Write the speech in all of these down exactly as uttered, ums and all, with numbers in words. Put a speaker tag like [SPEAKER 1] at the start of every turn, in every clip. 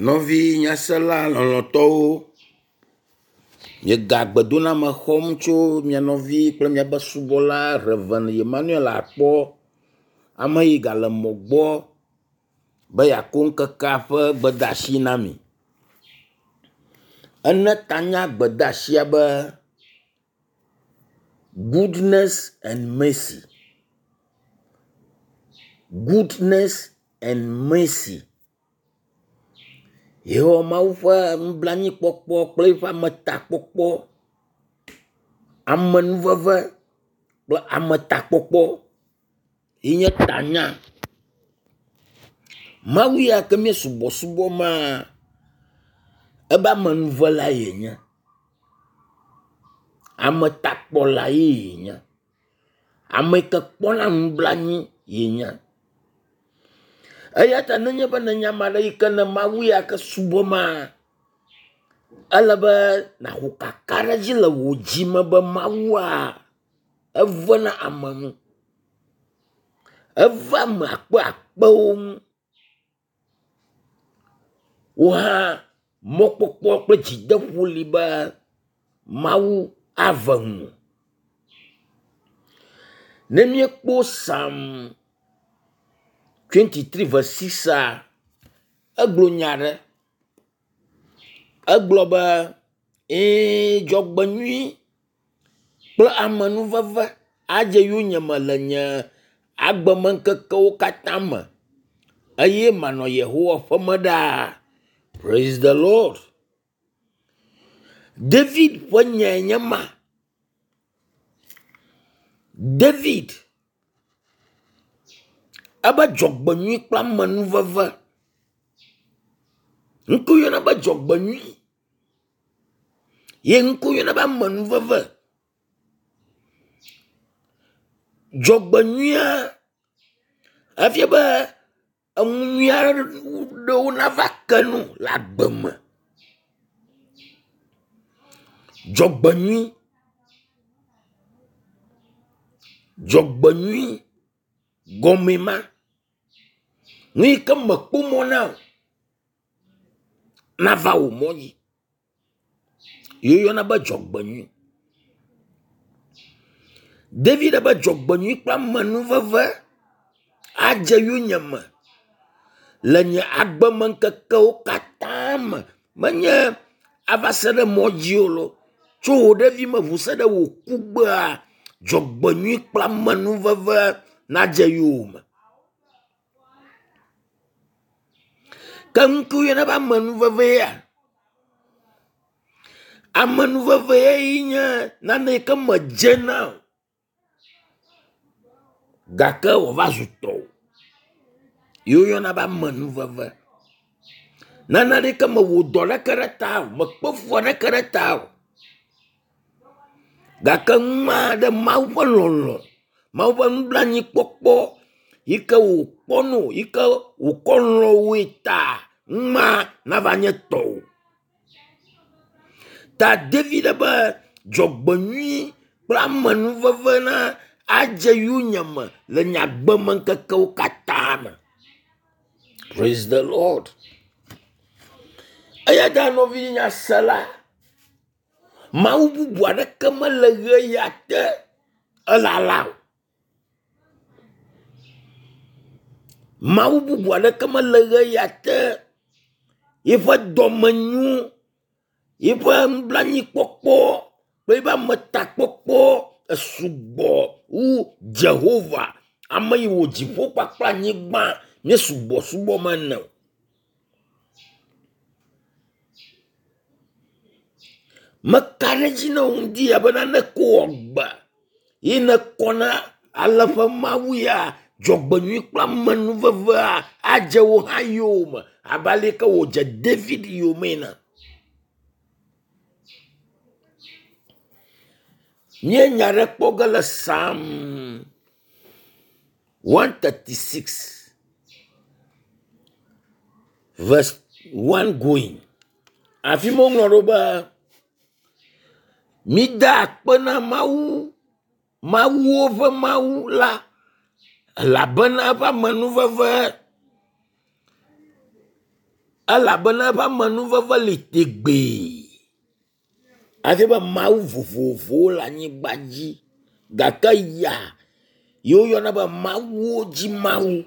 [SPEAKER 1] Nɔvi nyasela lɔlɔ̃tɔwo, miega gbedoname xɔm tso mia nɔvi kple miaƒe subɔla Rev. Emmanuel Akpɔ. Ame yi gale mɔ gbɔ be yeakɔ ŋkekea ƒe gbedeasi na mi. Ene ta na gbedeasia be goodness and mercy. Goodness and mercy. Yehowa Mawu ƒe nublanuikpɔkpɔ kple eƒe ametakpɔkpɔ, amenuveve kple ametakpɔkpɔ ye nye tanya. Mawu ya ke mie subɔsubɔ maa, ebe amenuvela yenye. Ametakpɔla ye yenye. Ame yi ke kpɔna nublanui yenye. Eya ta nenye be nenye ame aɖe yi ke ne Mawu ya ke subɔmaa, ele be nàxɔ kakaɖedzi le wò dzi me be Mawua, evena ame nu. Evea ame akpeakpewo ŋu. Wò hã mɔkpɔkpɔ kple dzideƒo li be Mawu ave nuwò. Ne míekpɔ Psalm twenty three verse six egblɔ nya aɖe. Egblɔ be ɛ̃ dzɔgbenyui kple amenuveve adze yonyeme le nye agbemeŋkekewo katã me eye manɔ Yehowa ƒeme ɖaa. Praise the Lord. David ƒe nyae nye ma. David ebe dzɔgbenyui kple amenuveve. Nu ke woyɔna be dzɔgbenyui ye nu ke woyɔna be amenuveve. Dzɔgbenyuia efia be enu nyui aɖewo nava ke nu le agbe me. Dzɔgbenyui, dzɔgbenyui gɔmee ma. Nu yi ke mekpɔ mɔ na o nava wò mɔ dzi ye woyɔna be dzɔgbenyui. David be dzɔgbenyui kple amenuveve adze yonyeme le nye agbemeŋkekewo katã me. Menye ava se ɖe mɔ dzi o lo. Tso wò ɖevime ŋu se ɖe wò kugbea, dzɔgbenyui kple amenuveve nadze yowòme. Ke nu ke woyɔna be amenuveve ya, amenuveve ye nye nane yi ke medze na o gake wòva zu tɔwò ye woyɔna be amenuveve. Nane ɖeke mewɔ dɔ ɖeke ɖe ta o, mekpe fu aɖeke ɖe ta o gake nua ɖe Mawu ƒe lɔlɔ̃, Mawu ƒe nublanuikpɔkpɔ yi ke wòkpɔ no yi ke wòkɔ lɔ̃ wòe ta nua nava nye tɔwò. Ta David be dzɔgbenyui kple amenuveve na adze yonyeme le nye agbemeŋkekewo katã me. Praise the Lord. Eya ta nɔvi nyasela, Mawu bubu aɖeke mele ɣe ya te elala o. Mawu bubu aɖeke mele ɣe ya te yiƒe dɔme nyo, yiƒe nublanuikpɔkpɔ kple yiƒe ametakpɔkpɔ esugbɔ wu Jehovah, ame yi wɔ dziƒo kpakple anyigba nye subɔsubɔ mene o. Meka ɖe edzi na wò ŋdi ya be nane ko wɔ agbe ye nèkɔ na ale ƒe Mawu ya dzɔgbenyui kple amenuvevea adze wò hã yowòme abe ale yi ke wòdze David yome ene. Míenya ɖe kpɔ ge le Psalm one thirty six verse one going. Afi ma woŋlɔ ɖo be mida akpe na Mawu, Mawuwo ƒe Mawu la elabena eƒe amenuveve Elabena eƒe amenuveve li tegbee. Hafi be Mawu vovovowo le anyigba dzi gake ya yi woyɔna be Mawuwo dzi Mawu.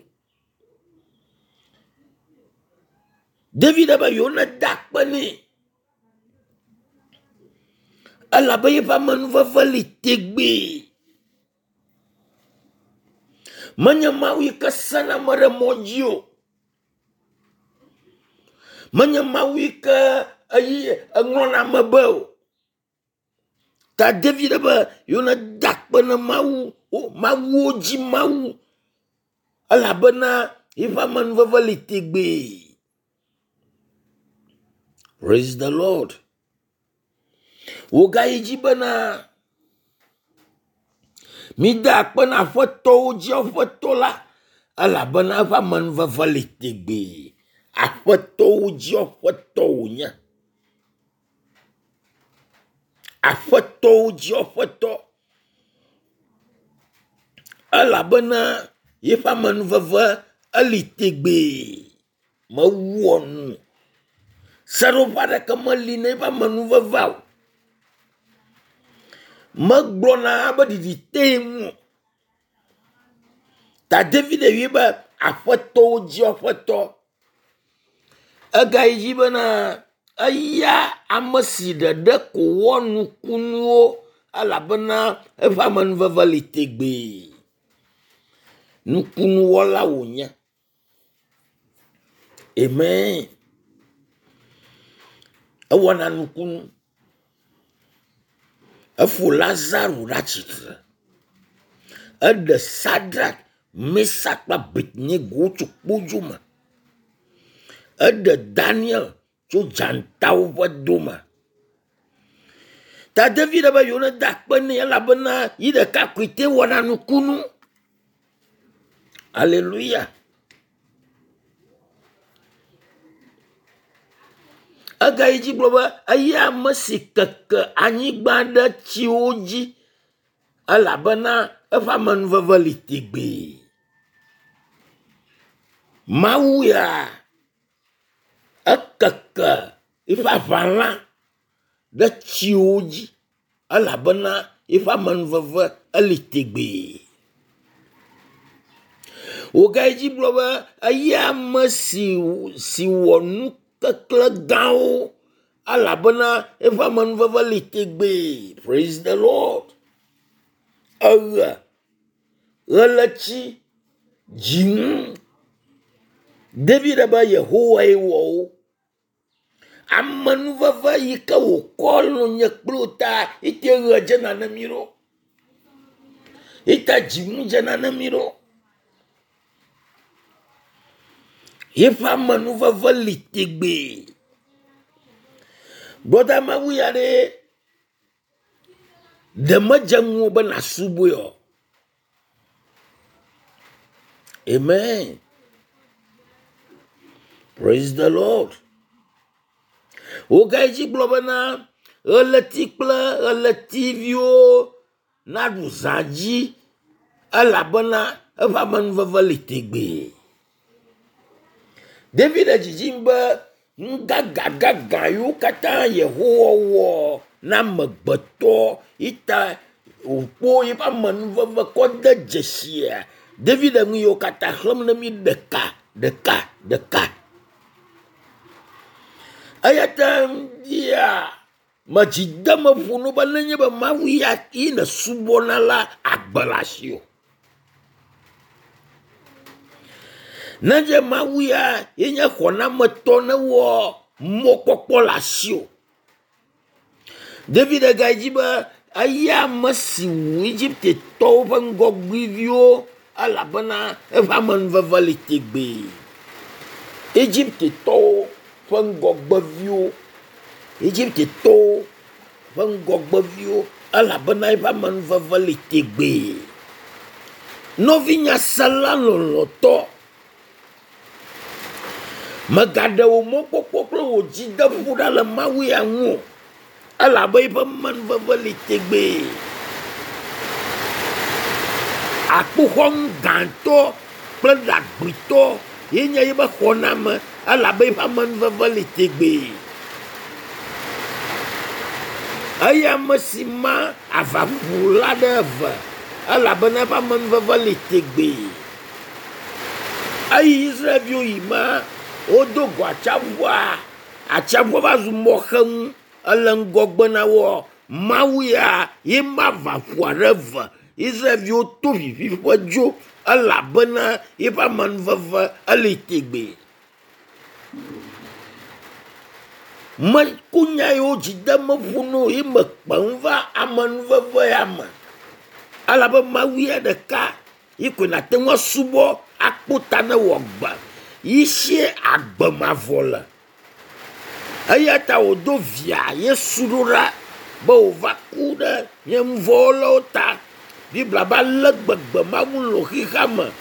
[SPEAKER 1] David be yewo neda akpe nɛ elabe yeƒe amenuveve li tegbee. Menye Mawu yi ke sena ame ɖe mɔ dzi o. Menye Mawu yi ke eyi eŋlɔna ame be o. Ta David be yewo neda akpe na Mawu, Mawuwo dzi Mawu elabena yeƒe amenuveve li tegbee. Praise the Lord. Wògayi dzi bena mida akpe na aƒetɔwo dzi aƒetɔ la elabena eƒe amenuveve li tegbee. Aƒetɔwo dzi aƒetɔ wònye. Aƒetɔwo dzi aƒetɔ elabena yeƒe amenuveve eli tegbee. Mewɔ nu. Seɖoƒe aɖeke meli na eƒe amenuvevea o. Megblɔna be ɖiɖi te ŋu o. Ta David yɔe be aƒetɔwo dzi aƒetɔ. Egayi dzi bena eya ame si ɖeɖe ko wɔ nukunuwo elabena eƒe amenuveve li tegbee. Nukunuwɔla wònye. Amen. Ewɔna nukunu. Efo Lazaro ɖe atsitre. Eɖe Sadrak, Mesak kple Abednego tso kpodzo me. Eɖe Daniel tso dzatawo ƒe dome. Ta David be yewo neda akpe nɛ elabena yi ɖeka koe te wɔna nukunu. Alléluia. Egayi dzi gblɔ be eya ame si keke anyigba ɖe tsiwo dzi elabena eƒe amenuveve li tegbee. Mawu ya ekeke eƒe aʋala ɖe tsiwo dzi elabena eƒe amenuveve eli tegbee. Wògayi dzi gblɔ be eya ame si si wɔ nukekle gãwo elabena eƒe amenuveve li tegbee. Praise the Lord. Eɣe, ɣleti, dzinu. David be Yehowae wɔ wo. Amenuveve yi ke wòkɔ lɔ nye kple wò ta ete ɣe dzena ne mí ɖo. Ete dzinu dzena ne mí ɖo. Yeƒe amenuveve li tegbee. Gbɔda Mawu ya ɖe ɖe medze ŋuwò be nàsubɔe o. Amen. Praise the Lord. Wògayi dzi gblɔ bena ɣleti kple ɣletiviwo naɖu zã dzi elabena eƒe amenuveve li tegbee. David le dzidzim be nu gãgãgãgã yiwo katã Yehowa wɔ na amegbetɔ ita wòkpɔ yeƒe amenuveve kɔ de dzesia. David le nu yiwo katã xlẽm ne mí ɖeka ɖeka ɖeka. Eya ta ŋdia medzi deme ƒo no be nenye be Mawu ya yi nèsubɔna la agbe le asiwò. Nenye Mawu ya ye nye xɔnametɔ ne wɔ mɔkpɔkpɔ le asiwò. David gayi dzi be eya ame si wu Egiptetɔwo ƒe ŋgɔgbeviwo elabena eƒe amenuveve li tegbee. Egiptetɔwo ƒe ŋgɔgbeviwo, Egiptetɔwo ƒe ŋgɔgbeviwo elabena eƒe amenuveve li tegbee. Nɔvinyasela lɔlɔ̃tɔ, mègaɖe wò mɔkpɔkpɔ kple wò dzideƒo ɖa le Mawu ya ŋu o elabe eƒe amenuveve li tegbee. Akpoxɔnu gãtɔ kple ɖagbitɔ Ye nye yi be xɔname elabe eƒe amenuveve li tegbee. Eya ame si ma avaʋuʋu la ɖe eve elabena eƒe amenuveve li tegbee. Eyi Israelviwo yi ma wodo go atsiaƒua, atsiaƒua va zu mɔxenu ele ŋgɔgbe na woa. Mawu ya ye ma avaƒua ɖe eve. Israelviwo to viviƒe dzo elabena eƒe amenuveve eli tegbee. Meku nya yiwo dzi dem meƒo na wo ye mekpe ŋu va amenuveve ya me. Elabe Mawu ya ɖeka yi koe nàte ŋu asubɔ akpɔ ta ne wò agbe. Yi sie agbe mavɔ le. Eya ta wòdo via Yesu ɖo ɖa be wòva ku ɖe nye nu vɔ̃wɔlawo ta. Biblia be ale gbegbe Mawu lɔ̃ xexea me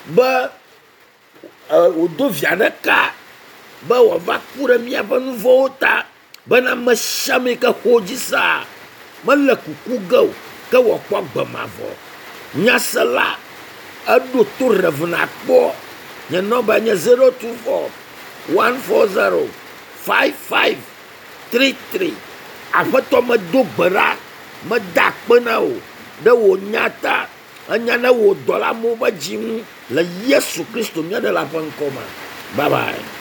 [SPEAKER 1] be wòdo via ɖeka be wòava ku ɖe míaƒe nu vɔ̃wo ta bena ame sia ame yi ke xɔ dzi sea mele kuku ge o ke wòakpɔ agbe mavɔ. Nyasela eɖo to Rev nakpɔ. Nye nɔmba nye zero two four one four zero five five three three. Aƒetɔ medo gbe ɖa, meda akpe na wò ɖe wò nya ta. Enya ne wò dɔla amewo ƒe dzi ŋu le Yesu Kristo mía Ɖela ƒe ŋkɔ me. Bye bye.